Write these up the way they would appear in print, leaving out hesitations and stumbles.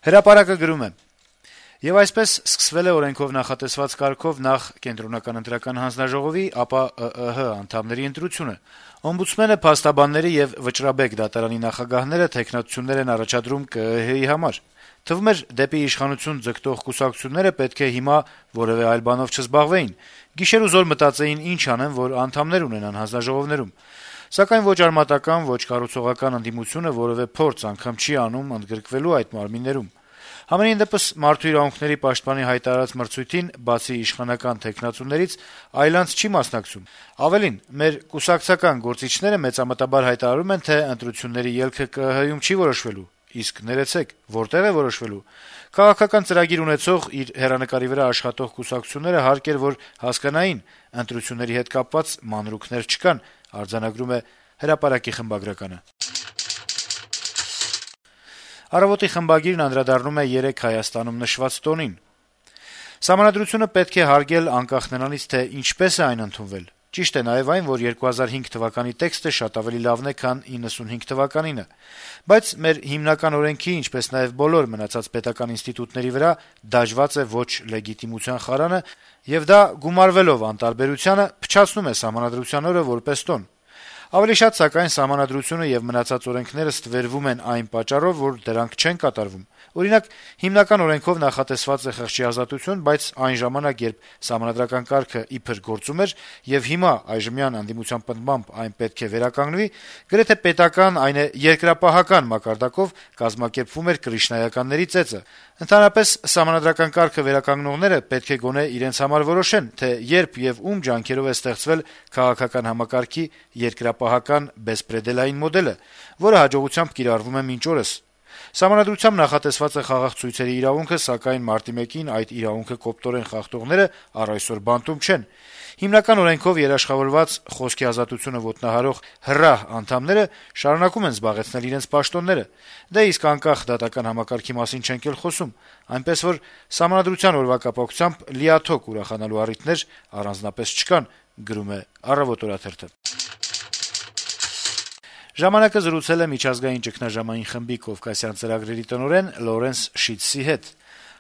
Հրապարակը գրում է. - «Եվ այսպես սկսվել է օրենքով նախատեսված կարգով նախ Կենտրոնական ընտրական հանձնաժողովի, ապա ԸԸՀ անդամների ընտրությունը: Օմբուդսմենը, փաստաբանները եւ Վճռաբեկ դատարանի նախագահները թեկնածություններ են առաջադրում ԿԸՀ-ի համար: Թվում էր, դեպի իշխանություն ձգտող կուսակցությունները պետք է հիմա որեւէ այլ բանով չզբաղվեին, գիշերուզօր մտածեին ինչ անեն, որ անդամներ ունենան հանձնաժողովներում: Սակայն ոչ արմատական, ոչ կառուցողական ընդդիմությունը որեւէ փորձ անգամ չի անում ընդգրկվելու այդ մարմիններում: Համենայն դեպս, Մարդու իրավունքների պաշտպանի հայտարարած մրցույթին, բացի իշխանական թեկնածուներից, այլ անձ չի մասնակցում: Ավելին, մեր կուսակցական գործիչները մեծամտաբար հայտարարում են, թե ընտրությունների ելքը ԿԸՀ-ում չի որոշվելու: Իսկ ներեցեք, որտե՞ղ է որոշվելու: Քաղաքական ծրագիր ունեցող, իր հեռանկարի վրա աշխատող կուսակցությունները հարկ էր, որ հասկանային` ընտրությունների հետ կապված մանրուքներ չկան»: «Առավոտ»-ի խմբագիրն անդրադառնում է երեկ Հայաստանում նշված տոնին. - «Սահմանադրությունը պետք է հարգել անկախ նրանից, թե ինչպես է այն ընդունվել: Ճիշտ է նաեւ այն, որ 2005 թվականի տեքստը շատ ավելի լավն է, քան 95 թվականինը: Բայց մեր հիմնական օրենքի, ինչպես նաեւ բոլոր մնացած պետական ինստիտուտների վրա դաջված է ոչ լեգիտիմության խարանը, եւ դա, գումարվելով անտարբերությանը, փչացնում է Սահմանադրության օրը որպես տոն: Ավելի շատ, սակայն, Սահմանադրությունը եւ մնացած օրենքները ստվերվում են այն պատճառով, որ դրանք չեն կատարվում: Օրինակ, հիմնական օրենքով նախատեսված է խղճի ազատություն, բայց այն ժամանակ, երբ սահմանադրական կարգը իբր գործում էր, եւ հիմա այժմյան ընդդիմության պնդմամբ այն պետք է վերականգնվի, գրեթե պետական, այն է երկրապահական մակարդակով կազմակերպվում էր կրիշնայականների ծեծը: Ընդհանրապես, սահմանադրական կարգը վերականգնողները պետք է գոնե իրենց համար որոշեն, թե երբ եւ ում ջանքերով է ստեղծվել քաղաքական համակարգի երկրապահական բեսպրեդելային մոդելը, որը հաջողությամբ կիրառվում է մինչ օրս: Սահմանադրությամբ նախատեսված է խաղաղ ցույցերի իրավունքը, սակայն մարտի 1-ին այդ իրավունքը կոպտորեն խախտողները առ այսօր բանտում չեն: Հիմնական օրենքով երաշխավորված խոսքի ազատությունը ոտնահարող հրահ անդամները շարունակում են զբաղեցնել իրենց պաշտոնները: Դե իսկ անկախ դատական համակարգի մասին չենք էլ խոսում: Այնպես որ, Սահմանադրության օրվա կապակցությամբ լիաթոք ուրախանալու առիթներ առանձնապես չկան»: «Ժամանակ»-ը զրուցել է Միջազգային ճգնաժամային խմբի Կովկասյան ծրագրերի տնօրեն Լորենս Շիթսի հետ: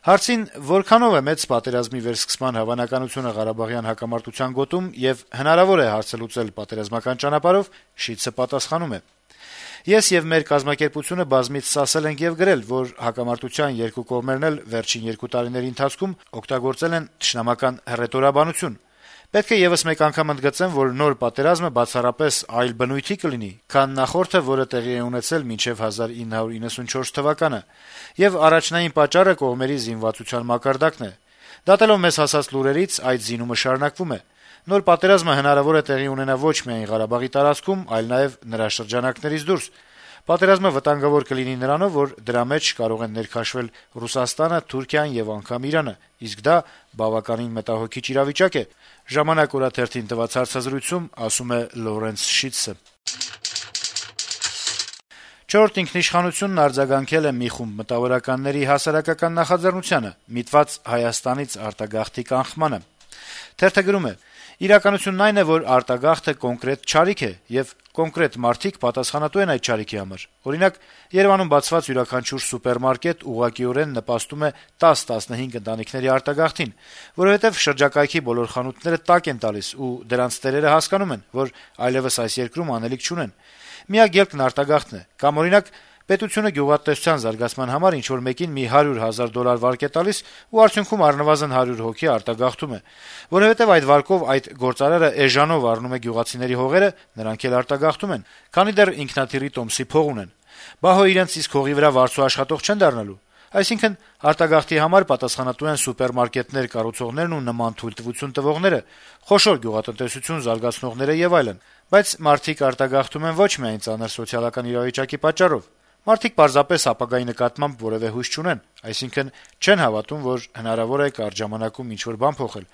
Հարցին, որքանով է մեծ պատերազմի վերսկսման հավանականությունը Ղարաբաղյան հակամարտության գոտում եւ հնարավոր է հարցը լուծել պատերազմական ճանապարհով, Շիթսը պատասխանում է. - «Ես եւ մեր կազմակերպությունը բազմիցս ասել ենք եւ գրել, որ հակամարտության երկու կողմերն էլ վերջին 2 տարիների ընթացքում օգտագործել են թշնամական հռետորաբանություն: Պետք է եւս մեկ անգամ ընդգծեմ, որ նոր պատերազմը բացառապես այլ բնույթի կլինի, քան նախորդը, որը տեղի է ունեցել մինչեւ 1994 թվականը: Եվ առաջնային պատճառը կողմերի զինվածության մակարդակն է: Դատելով մեզ հասած լուրերից, այդ զինումը շարունակվում է: Նոր պատերազմը հնարավոր է տեղի ունենա ոչ միայն Ղարաբաղի տարածքում, այլ նաեւ նրա շրջանակներից դուրս: Պատերազմը վտանգավոր կլինի նրանով, որ դրա մեջ կարող են ներքաշվել Ռուսաստանը, Թուրքիան եւ անգամ Իրանը: Իսկ դա բավականին մտահոգիչ իրավիճակ է», - «Ժամանակ» օրաթերթին տված հարցազրույցում ասում է Լորենս Շիթսը: «Չորրորդ ինքնիշխանությունն» արձագանքել է մի խումբ մտավորականների հասարակական նախաձեռնությանը` միտված Հայաստանից արտագաղթի կանխմանը: Թերթը գրում է. - «Իրականությունն այն է, որ արտագաղթը կոնկրետ չարիք է, եւ կոնկրետ մարդիկ պատասխանատու են այդ չարիքի համար: Օրինակ, Երեւանում բացված յուրաքանչյուր սուպերմարկետ ուղղակիորեն նպաստում է 10-15 ընտանիքների արտագաղթին, որովհետեւ շրջակայքի բոլոր խանութները տակ են տալիս, ու դրանց տերերը հասկանում են, որ այլեւս այս երկրում անելիք չունեն: Միակ ելքն արտագաղթն է: Կամ, օրինակ, պետությունը գյուղատնտեսության զարգացման համար ինչ-որ մեկին մի $100,000 վարկ է տալիս, ու արդյունքում առնվազն 100 հոգի արտագաղթում է: Որովհետեւ այդ վարկով այդ գործարարը էժանով առնում է գյուղացիների հողերը, նրանք էլ արտագաղթում են, քանի դեռ ինքնաթիռի տոմսի փող ունեն: Բա հո իրենց իսկ հողի վրա վարձու աշխատող չեն դառնալու: Այսինքն, արտագաղթի համար պատասխանատու են սուպերմարկետներ կառուցողներն ու նման թույլտվություն տվողները, խոշոր գյուղատնտեսություն զարգացնողները եւ այլն: Բայց մարդիկ արտագաղթում են ոչ միայն ծանր սոցիալական իրավիճակի պատճառով: Մարդիկ պարզապես ապագայի նկատմամբ որեւէ հույս չունեն, այսինքն` չեն հավատում, որ հնարավոր է կարճ ժամանակում ինչ-որ բան փոխել»: